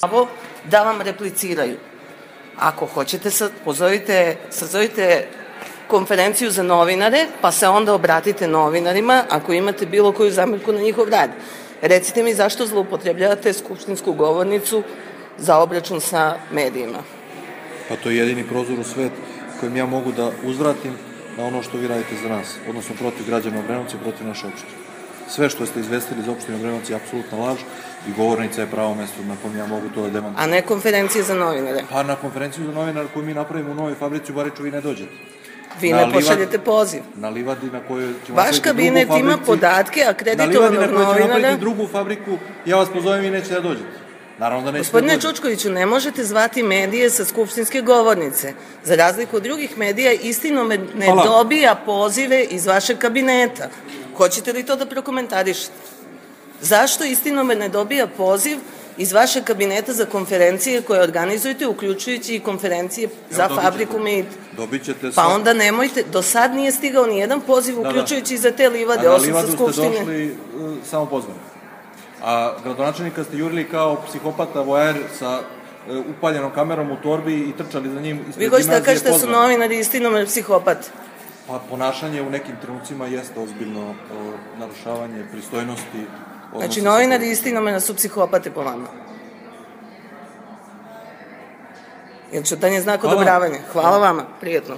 pravo da vam repliciraju. Ako hoćete, sazovite konferenciju za novinare, pa se onda obratite novinarima ako imate bilo koju zamerku na njihov rad. Recite mi zašto zloupotrebljavate skupštinsku govornicu za obračun sa medijima? Pa to je jedini prozor u svet kojim ja mogu da uzvratim na ono što vi radite za nas, odnosno protiv građana Obrenovca i protiv naše opštine. Sve što ste izvestili iz opštine Obrenovac je apsolutna laž i govornica je pravo mesto na kom ja mogu to da demantujem. A ne konferencije za novinare? Pa na konferenciju za novinare koju mi napravimo u Novoj fabrici u Bariču vi ne dođete. Vi ne pošaljete poziv. Na livadi na kojoj ćemo vaš kabinet ima podatke akreditovanog novinara. Na livadi na kojoj ćemo napraviti drugu fabriku, ja vas pozovem i nećete da dođete. Naravno da nećete da dođete. Gospodine Čučkoviću, ne možete zvati medije sa skupštinske govornice. Za razliku od drugih medija, Istinome ne dobija pozive iz vašeg kabineta. Hoćete li to da prokomentarišete? Zašto Istinome ne dobija poziv iz vašeg kabineta za konferencije koje organizujete, uključujući i konferencije za fabriku Meid? Dobićete Pa onda nemojte, do sad nije stigao ni jedan poziv, uključujući i za te livade, osim sa skupštine. A na livadu ste došli samo pozvani. A gradonačelnika ste jurili kao psihopata voajer sa upaljenom kamerom u torbi i trčali za njim ispred gimnazije pozvani. Vi hoćete da kažete da su novinari Istinome psihopati? Pa ponašanje u nekim trenucima jeste ozbiljno narušavanje pristojnosti. Znači, novinari Istinome su psihopate po vama. Jer ćutanje znak odobravanja. Hvala vama, prijetno.